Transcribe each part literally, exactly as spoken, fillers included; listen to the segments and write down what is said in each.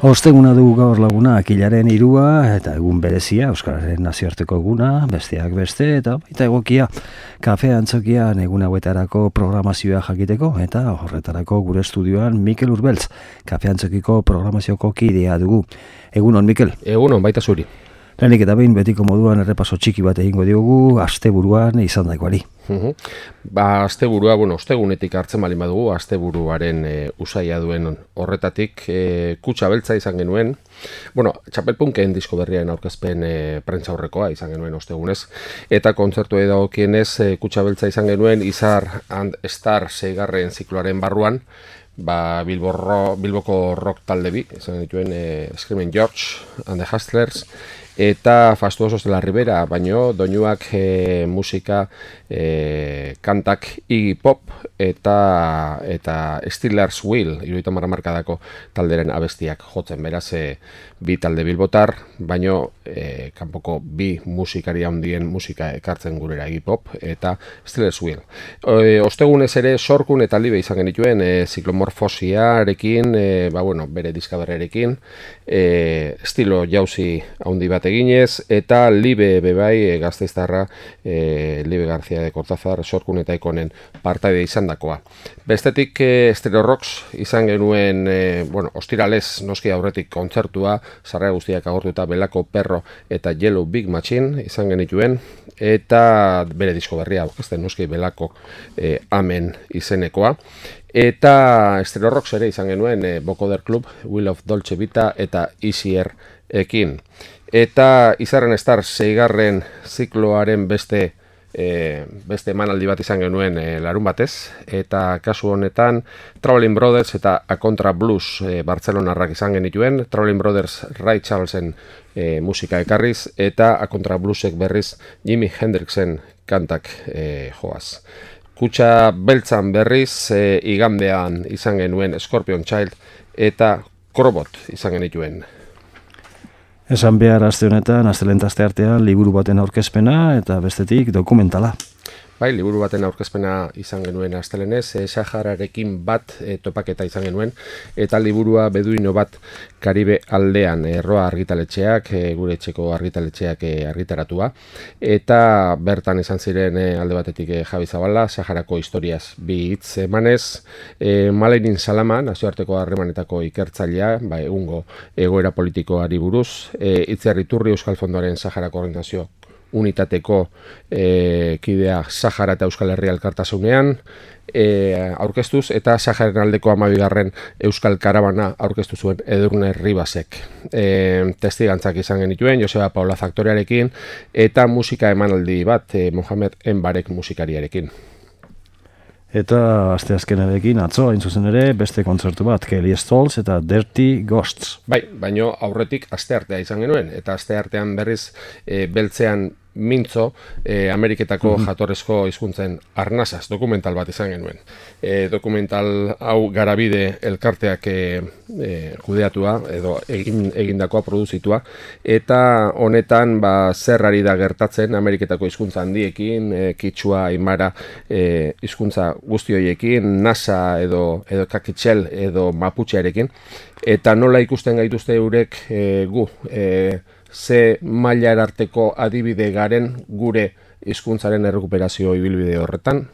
Osteguna dugu gaur laguna, akilaren hirua eta egun berezia, Euskararen nazioarteko eguna, besteak beste, eta baita egokia, kafe antzokian egun hauetarako programazioa jakiteko, eta horretarako gure estudioan Mikel Urbeltz, kafe antzokiko programazioko kidea dugu. Egunon, Mikel? Egunon, baita zuri. Lehenik eta behin betiko moduan errepaso txiki bat egingo diogu, asteburuan izan daikoari. Uhum. Ba, asteburua, bueno, ostegunetik hartzen bali badugu, asteburuaren e, usaia duen horretatik e, kutsa beltza izan genuen. Bueno, txapelpunken disko berriaren aurkezpen e, prentza horrekoa izan genuen ostegunez. Eta kontzertu edagokienez e, kutsa beltza izan genuen Izar and Star seigarren zikloaren barruan. Ba, Bilbo ro, Bilboko rock talde bi, izan dituen e, Screaming George and the Hustlers, eta Fastuosos de la Ribera, baino doinuak e, musika, e, kantak Iggy Pop eta eta Steelers Wheel, hirurogeita hamar hamarkadako talderen abestiak jotzen, beraz e, bi talde bilbotar, baino e, kanpoko bi musikari handien musika ekartzen gurera Iggy Pop eta Steelers Wheel. E, ostegunez ere Sorkun eta Libe izan genituen e, ziklomorfosiarekin, e, ba, bueno, bere diskaberrerekin, e, estilo jauzi handi bat eginez, eta Libe bebai e, gazteiztarra e, Libe García de Cortázar Sorkun eta Ikonen partaide izan dakoa. Bestetik e, Stereo Rocks izan genuen, e, bueno, ostiralez noski aurretik kontzertua, sarrera guztiak agortuta Belako Perro eta Yellow Big Machine izan genituen, eta bere disko berria aurkezten noski Belako e, Amen izenekoa. Eta Stereo Rocks ere izan genuen e, Bokoder Club, Will of Dolce Vita eta Easier ekin. Eta Izarren Star seigarren zikloaren beste E, beste emanaldi bat izan genuen e, larun batez, eta kasu honetan Traveling Brothers eta A Contra Blues e, Bartzelonarrak izan genituen. Traveling Brothers Ray Charlesen e, musika ekarriz, eta A Contra Bluesek berriz Jimi Hendrixen kantak e, joaz. Kutsa beltzan berriz e, igandean izan genuen Scorpion Child eta Krobot izan genituen. Esan behar aste honetan, astelehen aste artean, liburu baten aurkezpena eta bestetik dokumentala. Bai, liburu baten aurkezpena izan genuen astelenez, e, Sahararekin bat e, topaketa izan genuen, eta liburua Beduino bat Karibe aldean, erroa argitaletxeak, e, gure etxeko argitaletxeak e, argitaratua, eta bertan izan ziren e, alde batetik e, Javi Zabala, Saharako historiaz bi hitz emanez, e, Malerin Salama, nazioarteko harremanetako ikertzailea, ba, egungo egoera politikoari buruz, e, Itziar Iturri Euskal Fondoaren Saharako Organizazio unitateko e, kidea Sahara eta Euskal Herria elkartasunean e, aurkeztuz, eta Saharen aldeko hamabigarren Euskal Karabana aurkeztu zuen Edurne Ribasek. E, testigantzak izan genituen, Joseba Paula Faktorearekin, eta musika emanaldi bat e, Mohamed Enbarek musikariarekin. Eta asteazkenarekin atzo, hain zuzen ere, beste kontzertu bat, Kelly Stoltz eta Dirty Ghosts. Bai, baino aurretik asteartea izan genuen, eta asteartean berriz e, beltzean mintzo e, Ameriketako mm-hmm. jatorrezko hizkuntzen arnasaz dokumental bat izan genuen. E, dokumental hau Garabide elkarteak e, e, kudeatua edo egin, egindakoa produzitua, eta honetan ba, zer ari da gertatzen Ameriketako hizkuntza handiekin, e, Kitzua, Aimara e, hizkuntza guzti horiekin, Nasa edo, edo Kakitxel edo Maputxearekin, eta nola ikusten gaituzte eurek e, gu, e, ze mailar arteko adibide garen gure hizkuntzaren errekuperazio ibilbide horretan,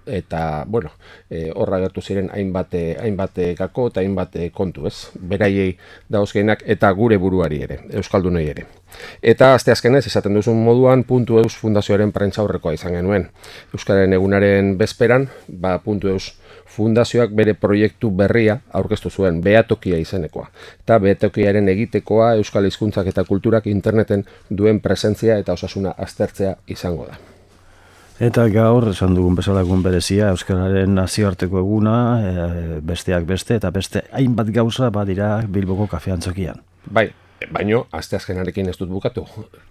eta, bueno, e, horra gertu ziren hainbat hainbat gako eta hainbat kontu, ez? Beraiei dauzkeinak eta gure buruari ere, euskaldunei ere. Eta asteazkenez, esaten duzun moduan, Puntu Eus Fundazioaren prentza aurrekoa izan genuen. Euskaren egunaren bezperan, ba, Puntu Eus Fundazioak bere proiektu berria aurkeztu zuen, Behatokia izenekoa. Eta behatokiaren egitekoa euskal hizkuntzak eta kulturak interneten duen presentzia eta osasuna aztertzea izango da. Eta gaur, esan dugun bezalagun berezia, Euskararen nazioarteko eguna, e, besteak beste, eta beste hainbat gauza badira Bilboko kafe antzokian. Bai. Baino, asteazkenarekin ez dut bukatu.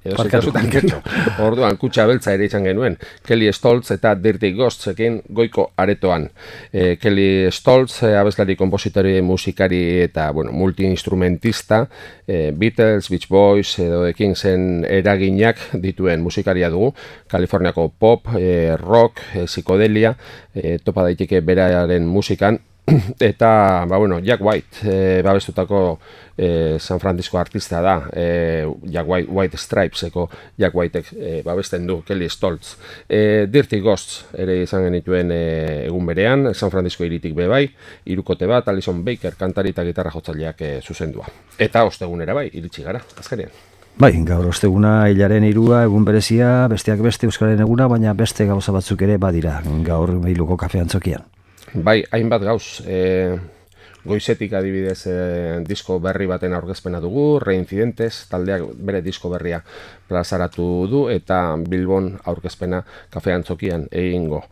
Edo zikasutan gertu. Orduan, kutsa beltza ere izan genuen. Kelly Stoltz eta Dirty Ghostsekin goiko aretoan. E, Kelly Stoltz, e, abeslari, kompositori, musikari eta bueno, multi-instrumentista, e, Beatles, Beach Boys edo The Kingsen eraginak dituen musikaria dugu. Kaliforniako pop, e, rock, e, psikodelia, e, topa daiteke beraren musikan, eta, ba, bueno, Jack White, e, babestutako e, San Francisco artista da, e, Jack White, White Stripeseko Jack Whitek e, babesten du, Kelly Stoltz. E, Dirty Ghosts ere izan genituen e, egun berean, San Francisco iritik be bai, hirukote bat, Alison Baker, kantari eta gitarra jotzaileak e, zuzendua. Eta ostegunera bai, iritsi gara, azkenean. Bai, gaur osteguna hilaren hirua egun berezia, besteak beste Euskararen eguna, baina beste gauza batzuk ere badira gaur Bilboko kafe antzokian. Bai, hainbat gauz. E, goizetik adibidez e, disko berri baten aurkezpena dugu, Reincidentes taldeak bere disko berria plazaratu du eta Bilbon aurkezpena kafe antzokian egingo.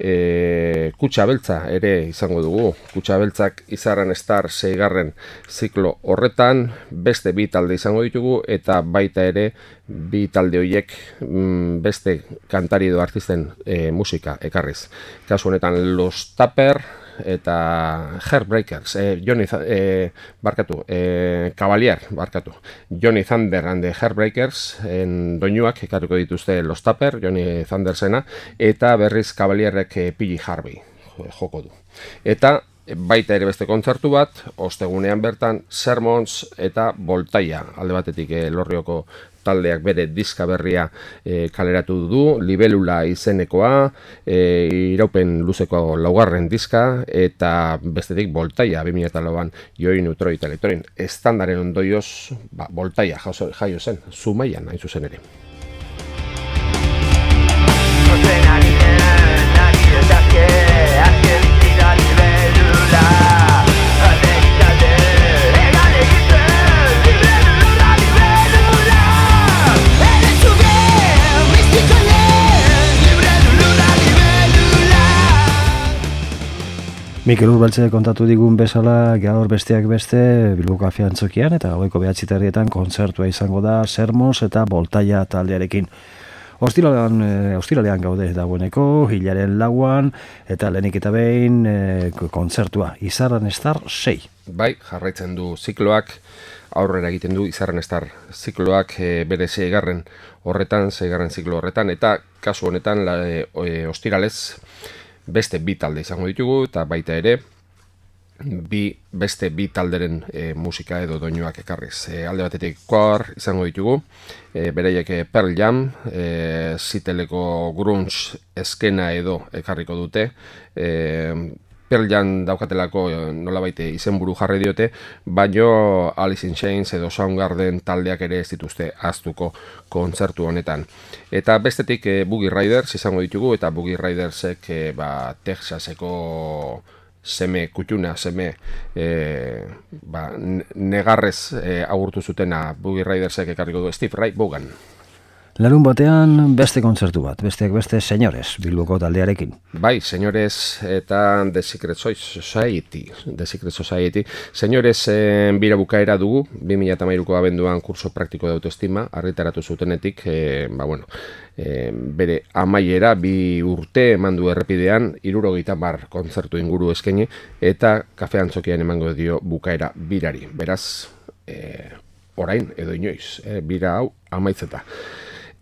E, Kutxa Beltza ere izango dugu. Kutxa Beltzak Izarren Star seigarren ziklo horretan beste bi talde izango ditugu eta baita ere bi talde horiek mm, beste kantari edo artisten e, musika ekarriz. Kasu honetan Los Tupper eta Heartbreakers, eh, Johnny eh, barkatu, eh, Cavalier barkatu, Johnny Thunder and the Heartbreakers en doinuak ekarriko dituzte Los Tupper, Johnny Thundersena, eta berriz Cavalierrek eh, P J Harvey joko du. Eta baita ere beste kontzertu bat, ostegunean bertan Sermons eta Voltaia, alde batetik eh, Lorrioko taldeak bere diska berria e, kaleratu du, Libelula izenekoa, e, iraupen luzeko laugarren diska, eta bestetik Voltaia, bi mila lauan Joi Neutroi eta Elektroin. Estandaren ondoioz, ba, Voltaia jaio zen, Zumaian hain zuzen ere. Mikel Urbaltze kontatu digun bezala gaur besteak beste Bilboko kafe antzokian eta gaueko behatzi terrietan kontzertua izango da Sermos eta Voltaia taldearekin. Ostiralean, e, ostiralean gaude dagoeneko, hilaren lauan eta lehenik eta behin e, kontzertua Izarren Star sei. Bai, jarraitzen du zikloak, aurrera egiten du Izarren Star zikloak e, bere seigarren horretan, seigarren ziklo horretan, eta kasu honetan la, e, e, ostiralez beste bi talde izango ditugu, eta baita ere bi, beste bi talderen e, musika edo doinuak ekarriz. E, alde batetik Quar izango ditugu, e, bereiek Pearl Jam, e, ziteleko grunge eskena edo ekarriko dute, e, Pearl Jam daukatelako nolabait izenburu jarri diote, baino Alice in Chains edo Soundgarden taldeak ere ez dituzte ahaztuko kontzertu honetan. Eta bestetik e, Boogie Riders izango ditugu, eta Boogie Ridersek e, ba, Texaseko seme, kutxuna, seme e, ba, negarrez e, agurtu zutena Boogie Ridersek ekarriko du Steve Ray Vaughan. Larun batean beste kontzertu bat, besteak beste Señores, Bilboko taldearekin. Bai, Señores eta The Secret Society. The Secret Society. Señores eh, bira bukaera dugu, bi mila hamairuko abenduan kurso praktiko de autoestima, argitaratu zutenetik, eh, ba bueno, eh, bere amaiera, bi urte eman du errepidean, hirurogeita hamar kontzertu inguru eskaini, eta kafe antzokian emango dio bukaera birari. Beraz, eh, orain edo inoiz, eh, bira hau amaitzeta.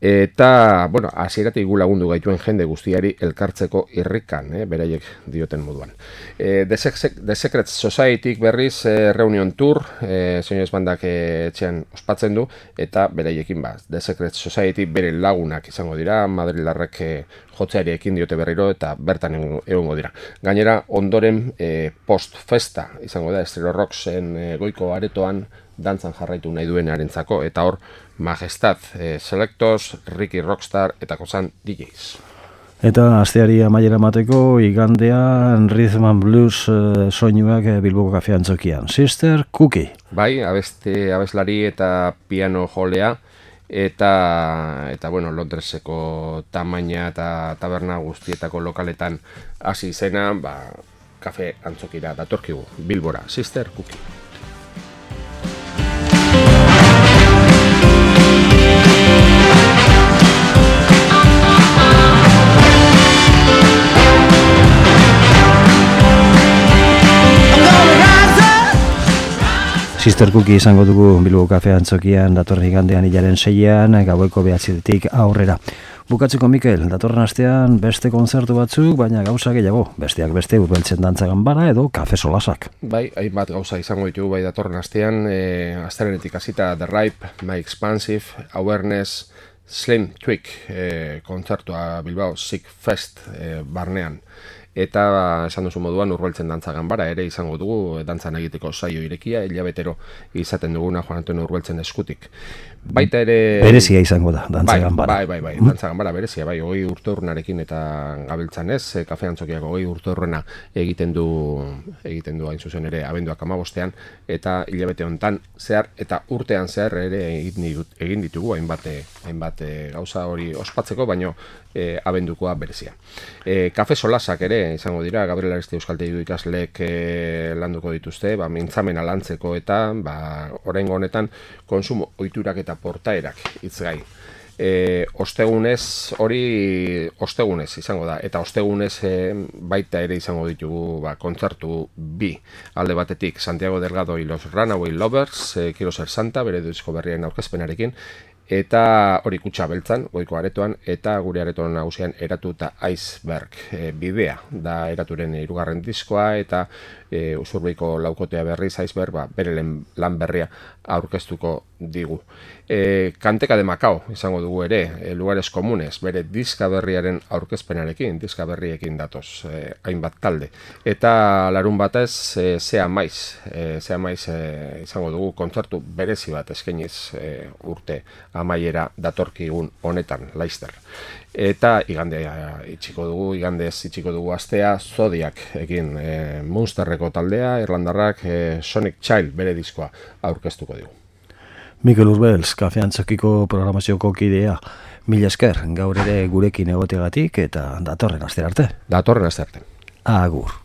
Eta, bueno, hasieratik gu lagundu gaituen jende guztiari elkartzeko irrikan, eh, beraiek dioten moduan. Eh, The, The Secret Society berriz eh, reunion tour, eh, Señores bandak eh, etxean ospatzen du, eta beraiekin ba, The Secret Society bere lagunak izango dira, madrilarrek eh, jotzeari ekin diote berriro, eta bertan egongo dira. Gainera, ondoren eh, post-festa izango da, Estero Rocksen eh, goiko aretoan, dantzan jarraitu nahi duenarentzako, eta hor Majestad, eh, Selectos, Ricky Rockstar eta Kozan D Js. Eta asteari amaiera mateko igandean Rhythm and Blues eh, soinuak eh, Bilboko kafe antzokian. Sister Cookie. Bai, abeste, abeslari eta piano jolea, eta, eta bueno, Londreseko tamaina eta taberna guztietako lokaletan hasi izena, ba, kafe antzokira datorkigu, Bilbora, Sister Cookie. Sister Cookie izango dugu Bilboko kafe antzokian datorren igandean hilaren seian, gaueko behatzitik aurrera. Bukatzeko Mikel, datorren astean beste kontzertu batzuk, baina gauza gehiago, besteak beste Urbeltzen dantza ganbara edo kafe solasak. Bai, hainbat gauza izango ditugu bai datorren astean, e, astelehenetik hasita The Ripe, My Expansive, Awareness, Slim Twig, e, kontzertua Bilbao Sick Fest e, barnean. Eta esan duzu moduan Urbeltzen dantza ganbara ere izango dugu dantzan egiteko saio irekia, hilabetero izaten duguna Juan Antonio Urbeltzen eskutik. Baita ere... Berezia izango da, dantza bai, ganbara. Bai, bai, bai, dantza ganbara berezia, bai, hogei urteurrenarekin eta gabiltzan ez, e, Kafe Antzokiak hogei urteurrena egiten du, egiten du hain zuzen ere abenduak amabostean, eta hilabete hontan zehar, eta urtean zehar ere egin, ditut, egin ditugu hainbat, hainbat gauza hori ospatzeko, baino e, abendukoa berezia. E, kafe solasak ere izango dira, Gabriel Ariste Euskaltegi ikasleek e, landuko dituzte, ba, mintzamena lantzeko eta ba, oraingo honetan konsumo ohiturak eta portaerak hitzgai. E, ostegunez hori ostegunez izango da, eta ostegunez e, baita ere izango ditugu ba, kontzertu bi alde batetik Santiago Delgado y los Runaway Lovers, e, Quiero Ser Santa, bere disko berrien aurkezpenarekin, eta hori Kutxa Beltzan, goiko aretoan, eta gure aretoan nagusian Eratu eta Iceberg e, bidea da eraturen hirugarren diskoa, eta e, Usurbeiko laukotea berriz Iceberg ba, bere lan berria aurkeztuko digu. E, Kanteka de Macao izango dugu ere, e, Lugares Komunes, bere diska berriaren aurkezpenarekin, diska berriekin datoz, e, hainbat talde. Eta larun batez, e, Zea Maiz, e, Zea Maiz e, izango dugu kontzertu berezi bat eskainiz e, urte amaiera datorkigun honetan, Laster. Eta igandea itxiko dugu, igandez itxiko dugu astea, Zodiak egin e, Munsterreko taldea, Irlandarrak e, Sonic Child bere diskoa aurkeztuko digu. Mikel Urbels, Kafe Antzokiko programazioko kidea, mila esker, gaur ere gurekin egotegatik eta datorren aste arte. Datorren aste arte. Agur.